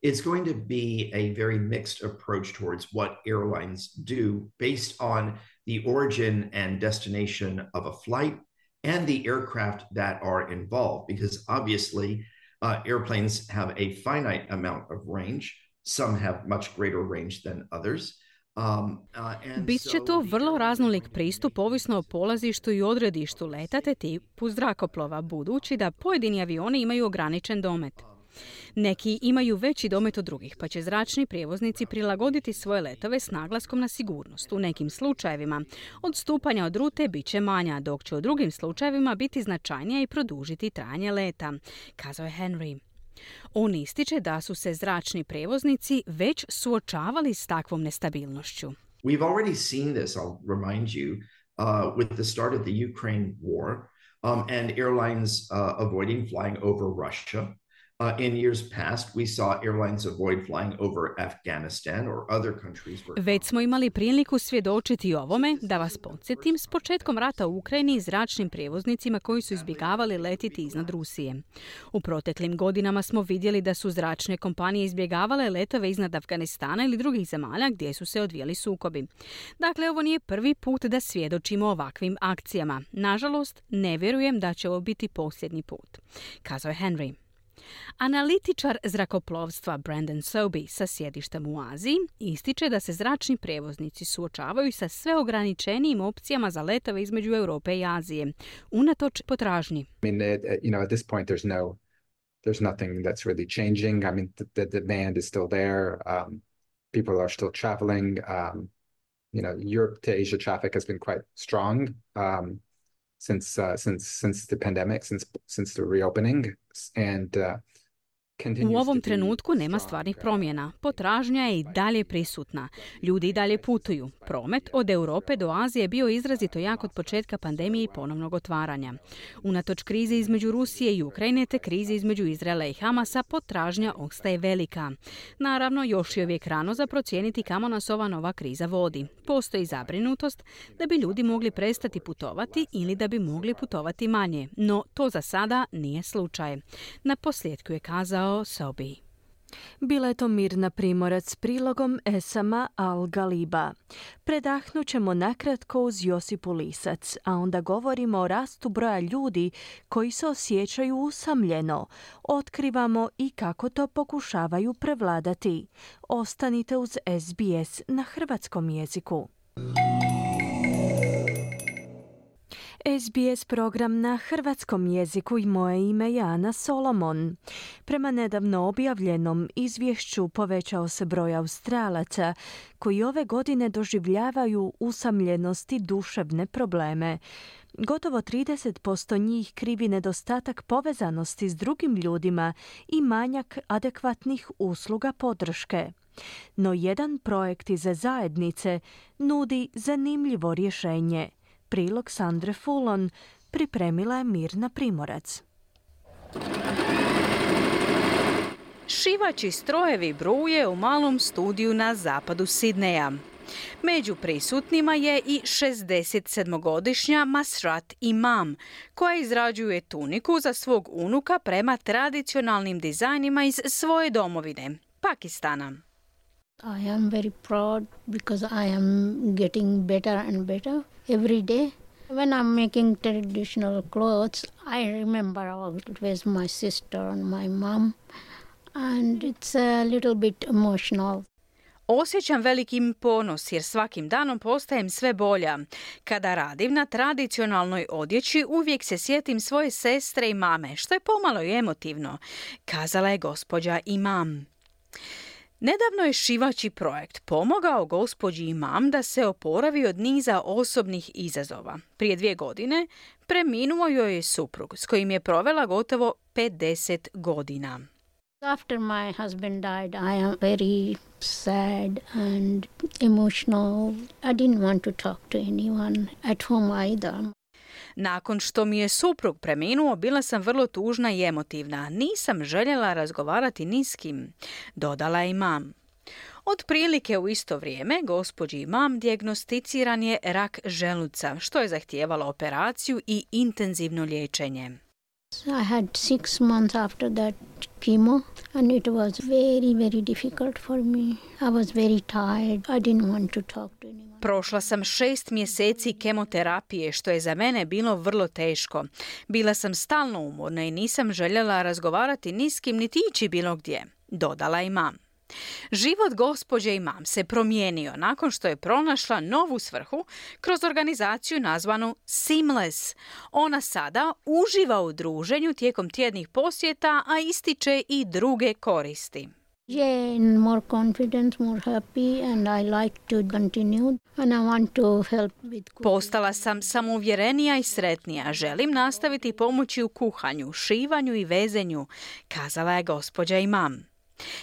W: It's going to be a very mixed approach towards what airlines do based on the origin and destination of a flight and the aircraft that are involved, because obviously airplanes have a finite amount of range. Some have much greater range than others.
V: Bit će to vrlo raznolik pristup ovisno o polazištu i odredištu leta te tipu zrakoplova, budući da pojedini avioni imaju ograničen domet. Neki imaju veći domet od drugih, pa će zračni prijevoznici prilagoditi svoje letove s naglaskom na sigurnost. U nekim slučajevima odstupanja od rute bit će manja, dok će u drugim slučajevima biti značajnija i produžiti trajanje leta, kazao je Henry. On ističe da su se zračni prijevoznici već suočavali s takvom nestabilnošću.
W: We've already seen this, I'll remind you, with the start of the Ukraine war and airlines avoiding flying over Russia. In years past, we saw airlines avoid flying over Afghanistan or other countries.
V: Već smo imali priliku svjedočiti ovome, da vas podsjetim, s početkom rata u Ukrajini i zračnim prijevoznicima koji su izbjegavali letiti iznad Rusije. U proteklim godinama smo vidjeli da su zračne kompanije izbjegavale letove iznad Afganistana ili drugih zemalja gdje su se odvijali sukobi. Dakle, ovo nije prvi put da svjedočimo ovakvim akcijama. Nažalost, ne vjerujem da će ovo biti posljednji put, kazao je Henry. Analitičar zrakoplovstva Brandon Sobey sa sjedištem u Aziji ističe da se zračni prijevoznici suočavaju sa sve ograničenijim opcijama za letove između Europe i Azije, unatoč potražnji.
D: At this point there's nothing that's really changing. The demand is still there. People are still traveling. Europe to Asia traffic has been quite strong. Since the pandemic, since the reopening, and
V: U ovom trenutku nema stvarnih promjena. Potražnja je i dalje prisutna. Ljudi i dalje putuju. Promet od Europe do Azije je bio izrazito jak od početka pandemije i ponovnog otvaranja. Unatoč krize između Rusije i Ukrajine te krize između Izraela i Hamasa, potražnja ostaje velika. Naravno, još je uvijek rano za procijeniti kamo nas ova nova kriza vodi. Postoji zabrinutost da bi ljudi mogli prestati putovati ili da bi mogli putovati manje, no to za sada nije slučaj. Na posljedku je kazao Sobey.
C: Bila je to Mirna Primorac s prilogom Esama Al-Galiba. Predahnut ćemo nakratko uz Josipu Lisac, a onda govorimo o rastu broja ljudi koji se osjećaju usamljeno. Otkrivamo i kako to pokušavaju prevladati. Ostanite uz SBS na hrvatskom jeziku. SBS program na hrvatskom jeziku i moje ime je Ana Solomon. Prema nedavno objavljenom izvješću povećao se broj Australaca koji ove godine doživljavaju usamljenost i duševne probleme. Gotovo 30% njih krivi nedostatak povezanosti s drugim ljudima i manjak adekvatnih usluga podrške. No jedan projekt iz zajednice nudi zanimljivo rješenje. Prilog Sandre Fulon pripremila je Mirna Primorac.
V: Šivaći strojevi bruje u malom studiju na zapadu Sidneja. Među prisutnima je i 67-godišnja Masrat Imam, koja izrađuje tuniku za svog unuka prema tradicionalnim dizajnima iz svoje domovine, Pakistana.
E: I am very proud because I am getting better and better every day. When I'm making traditional clothes, I remember always my sister and my mom, and it's a little bit emotional.
V: Osjećam veliki ponos jer svakim danom postajem sve bolja. Kada radim na tradicionalnoj odjeći, uvijek se sjetim svoje sestre i mame, što je pomalo i emotivno, kazala je gospođa Imam. Nedavno je šivaći projekt pomogao gospođi Imam da se oporavi od niza osobnih izazova. Prije 2 godine preminuo joj je suprug s kojim je provela gotovo 50 godina.
E: After my husband died, I am very sad and emotional. I didn't want to talk to anyone at home either.
V: Nakon što mi je suprug preminuo, bila sam vrlo tužna i emotivna. Nisam željela razgovarati ni s kim, dodala je Imam. Otprilike u isto vrijeme gospođi Imam dijagnosticiran je rak želuca, što je zahtijevalo operaciju i intenzivno liječenje.
E: I had 6 months after that chemo and it was very, very difficult for me. I was very tired. I didn't want to talk to anyone.
V: Prošla sam 6 mjeseci kemoterapije, što je za mene bilo vrlo teško. Bila sam stalno umorna i nisam željela razgovarati ni s kim niti ići bilo gdje, dodala Imam. Život gospođe Imam se promijenio nakon što je pronašla novu svrhu kroz organizaciju nazvanu Seamless. Ona sada uživa u druženju tijekom tjednih posjeta, a ističe i druge koristi.
E: Yeah, more confident, more happy and I like to continue and I want to help with cooking.
V: Postala sam samouvjerenija i sretnija. Želim nastaviti pomoći u kuhanju, šivanju i vezenju, kazala je gospođa Imam.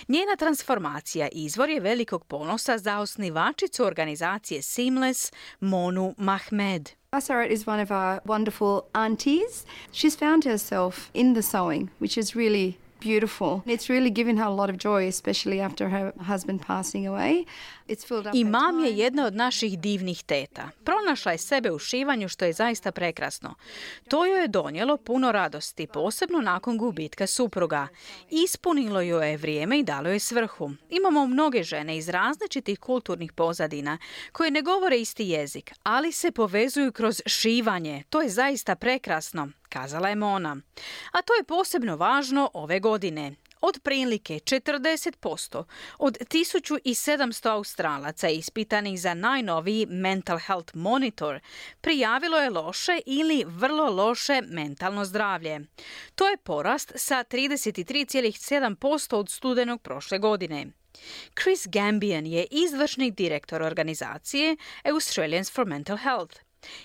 V: Njena transformacija izvor je velikog ponosa za osnivačicu organizacije Seamless, Monu Mahmed.
F: Asarat is one of our wonderful aunties. She's found herself in the sewing, which is really beautiful. It's really given her a lot of joy, especially after her husband passing away. It's filled up.
V: Imam je jedna od naših divnih teta. Pronašla je sebe u šivanju, što je zaista prekrasno. To joj je donijelo puno radosti, posebno nakon gubitka supruga. Ispunilo joj je vrijeme i dalo je svrhu. Imamo mnoge žene iz različitih kulturnih pozadina koje ne govore isti jezik, ali se povezuju kroz šivanje. To je zaista prekrasno, kazala je Mona. A to je posebno važno ove godine. Otprilike 40% od 1700 Australaca ispitanih za najnoviji Mental Health Monitor prijavilo je loše ili vrlo loše mentalno zdravlje. To je porast sa 33,7% od studenog prošle godine. Chris Gambian je izvršni direktor organizacije Australians for Mental Health.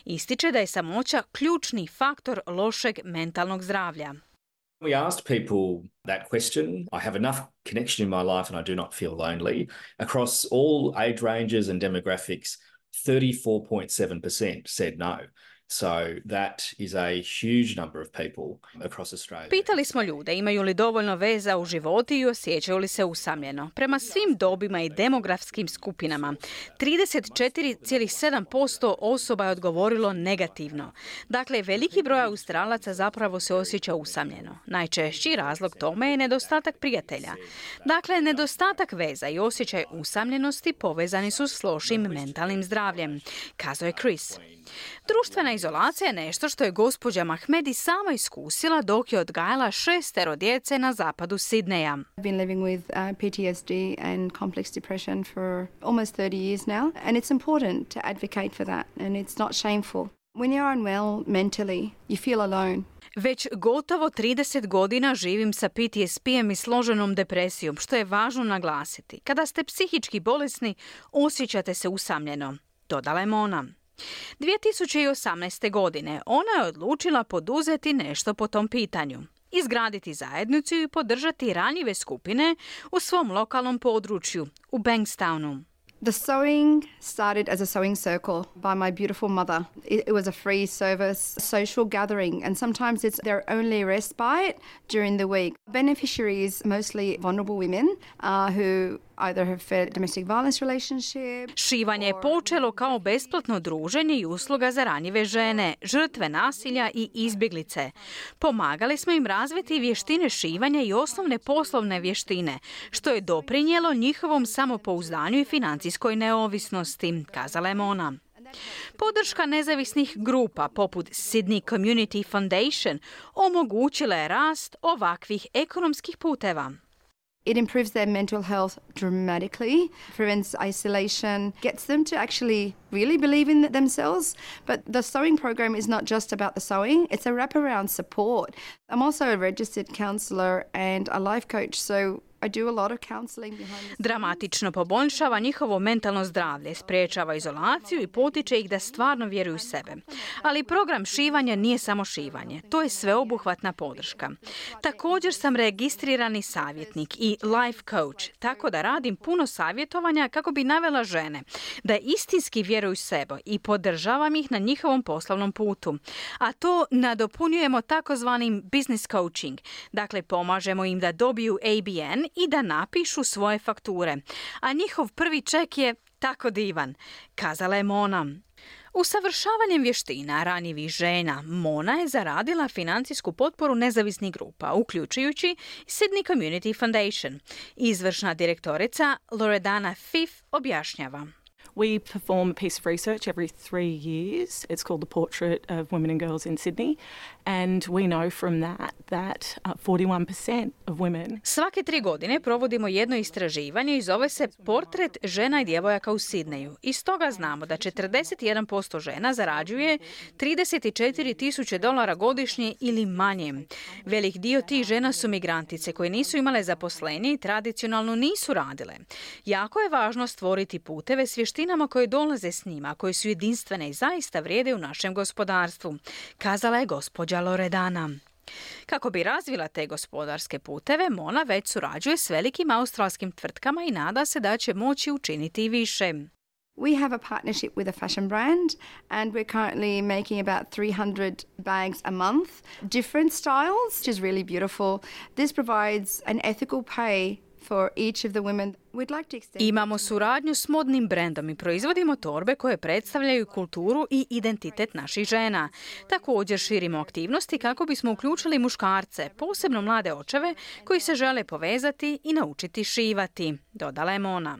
V: Ističe da je samoća ključni faktor lošeg mentalnog zdravlja.
I: We asked people that question. I have enough connection in my life and I do not feel lonely. Across all age ranges and demographics, 34.7% said no. So that is a huge number of people across Australia.
V: Pitali smo ljude imaju li dovoljno veza u životu i osjećaju li se usamljeno. Prema svim dobima i demografskim skupinama, 34,7% osoba je odgovorilo negativno. Dakle, veliki broj Australaca zapravo se osjeća usamljeno. Najčešći razlog tome je nedostatak prijatelja. Dakle, nedostatak veza i osjećaj usamljenosti povezani su s lošim mentalnim zdravljem, kazao je Chris. Društvena izolacija je nešto što je gospođa Mahmedi sama iskusila dok je odgajala 6 djece na zapadu Sidneja.
F: I've been living with PTSD and complex depression for almost 30 years now, and it's important to advocate for that, and it's not shameful. When you're unwell mentally, you feel alone.
V: Već gotovo 30 godina živim sa PTSP-em i složenom depresijom, što je važno naglasiti. Kada ste psihički bolesni, osjećate se usamljeno, dodala je Mona. 2018. godine ona je odlučila poduzeti nešto po tom pitanju. Izgraditi zajednicu i podržati ranjive skupine u svom lokalnom području, u Bankstownu.
F: The sewing started as a sewing circle by my beautiful mother. It was a free service, social gathering, and sometimes it's their only respite during the week. Beneficiaries, mostly vulnerable women who either have fed domestic violence relationship.
V: Šivanje je počelo kao besplatno druženje i usluga za ranjive žene, žrtve nasilja i izbjeglice. Pomagali smo im razviti vještine šivanja i osnovne poslovne vještine, što je doprinijelo njihovom samopouzdanju i financijskoj neovisnosti, kazala je Mona. Podrška nezavisnih grupa poput Sydney Community Foundation omogućila je rast ovakvih ekonomskih puteva.
F: It improves their mental health dramatically, prevents isolation, gets them to actually really believe in themselves. But the sewing program is not just about the sewing, it's a wraparound support. I'm also a registered counsellor and a life coach, so I do a lot of counseling behind the scenes.
V: Dramatično poboljšava njihovo mentalno zdravlje, sprečava izolaciju i potiče ih da stvarno vjeruju u sebe. Ali program šivanja nije samo šivanje, to je sveobuhvatna podrška. Također sam registrirani savjetnik i life coach, tako da radim puno savjetovanja kako bi navela žene da istinski vjeruju u sebe i podržavam ih na njihovom poslovnom putu. A to nadopunjujemo takozvanim business coaching, dakle pomažemo im da dobiju ABN i da napišu svoje fakture. A njihov prvi ček je tako divan, kazala je Mona. Usavršavanjem vještina ranjivih žena, Mona je zaradila financijsku potporu nezavisnih grupa, uključujući Sydney Community Foundation. Izvršna direktorica Loredana Fife objašnjava.
J: We perform a piece of research every 3 years. It's called the Portrait of Women and Girls in Sydney. And we know from that 41% of women...
V: Svake 3 godine provodimo jedno istraživanje i zove se Portret žena i djevojaka u Sidneju. I stoga znamo da 41% žena zarađuje $34,000 godišnje ili manje. Velik dio tih žena su migrantice koje nisu imale zaposlenje i tradicionalno nisu radile. Jako je važno stvoriti puteve s vještinama koje dolaze s njima, koje su jedinstvene i zaista vrijede u našem gospodarstvu, kazala je gospođa Loredana. Kako bi razvila te gospodarske puteve, Mona već surađuje s velikim australskim tvrtkama i nada se da će moći učiniti i više.
F: We have a partnership with a fashion brand and we're currently making about 300 bags a month, different styles, which is really beautiful. This provides an ethical pay for each of the women. We'd like to extend...
V: Imamo suradnju s modnim brendom i proizvodimo torbe koje predstavljaju kulturu i identitet naših žena. Također širimo aktivnosti kako bismo uključili muškarce, posebno mlade očeve koji se žele povezati i naučiti šivati, dodala je Mona.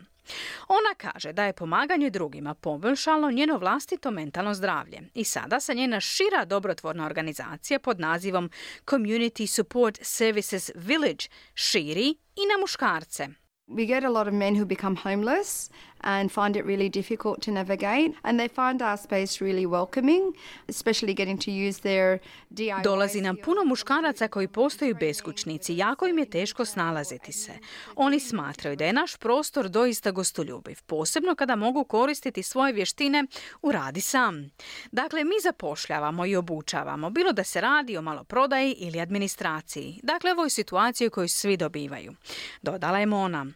V: Ona kaže da je pomaganje drugima poboljšalo njeno vlastito mentalno zdravlje i sada se njena šira dobrotvorna organizacija pod nazivom Community Support Services Village širi i na muškarce.
F: We get a lot of men who become homeless and find it really difficult to navigate, and they find our space really welcoming, especially getting to use their DIY.
V: Dolazi nam puno muškaraca koji postaju beskućnici, jako im je teško snalaziti se. Oni smatraju da je naš prostor doista gostoljubiv, posebno kada mogu koristiti svoje vještine u radi sam. Dakle, mi zapošljavamo i obučavamo, bilo da se radi o maloprodaji ili administraciji. Dakle, ovo je situacija koju svi dobivaju, dodala je Mona.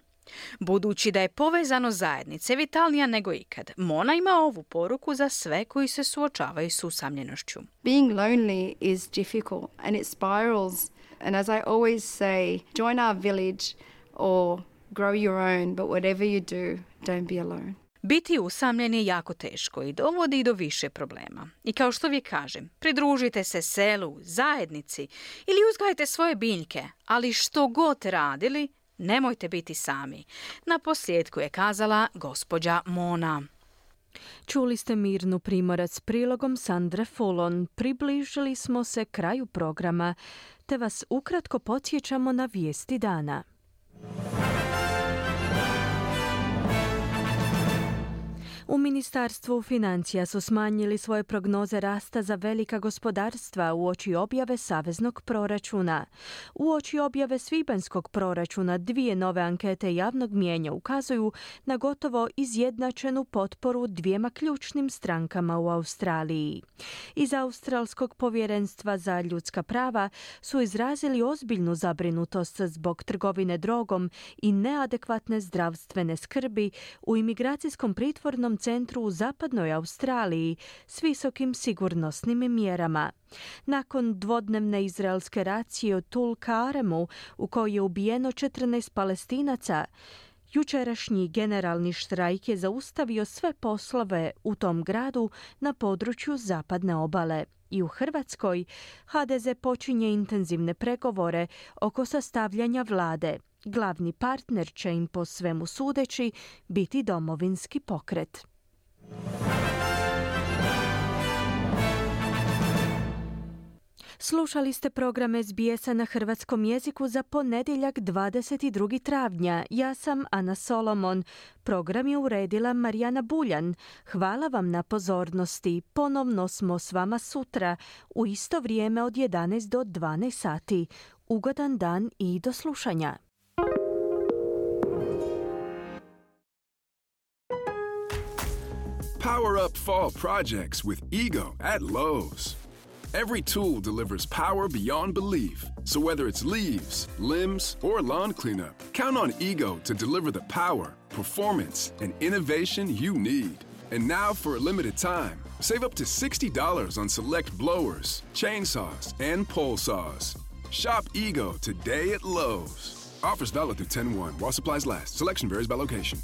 V: Budući da je povezano zajednice vitalnija nego ikad, Mona ima ovu poruku za sve koji se suočavaju s usamljenošću.
F: Being lonely is difficult and it spirals. And as I always say, join our village or grow your own, but whatever you do, don't be alone.
V: Biti usamljen je jako teško i dovodi do više problema. I kao što vi kažem, pridružite se selu, zajednici ili uzgajte svoje biljke, ali što god radili, nemojte biti sami. Na posljedku je kazala gospođa Mona.
C: Čuli ste Mirnu Primorac prilogom Sandre Fulon. Približili smo se kraju programa, te vas ukratko podsjećamo na vijesti dana. U Ministarstvu financija su smanjili svoje prognoze rasta za velika gospodarstva uoči objave saveznog proračuna. Uoči objave svibanjskog proračuna 2 nove ankete javnog mnijenja ukazuju na gotovo izjednačenu potporu 2 ključnim strankama u Australiji. Iz Australskog povjerenstva za ljudska prava su izrazili ozbiljnu zabrinutost zbog trgovine drogom i neadekvatne zdravstvene skrbi u imigracijskom pritvornom centru u zapadnoj Australiji s visokim sigurnosnim mjerama. Nakon dvodnevne izraelske racije u Tulkaremu u kojoj je ubijeno 14 Palestinaca, Jučerašnji generalni štrajk je zaustavio sve poslove u tom gradu na području zapadne obale. I u Hrvatskoj HDZ počinje intenzivne pregovore oko sastavljanja vlade. Glavni partner će im po svemu sudeći biti Domovinski pokret. Slušali ste program SBS-a na hrvatskom jeziku za ponedjeljak 22. travnja. Ja sam Ana Solomon. Program je uredila Marijana Buljan. Hvala vam na pozornosti. Ponovno smo s vama sutra u isto vrijeme od 11 do 12 sati. Ugodan dan i do slušanja.
K: Power up fall projects with Ego at Lowe's. Every tool delivers power beyond belief. So whether it's leaves, limbs, or lawn cleanup, count on Ego to deliver the power, performance, and innovation you need. And now for a limited time, save up to $60 on select blowers, chainsaws, and pole saws. Shop Ego today at Lowe's. Offers valid through 10/1 while supplies last. Selection varies by location.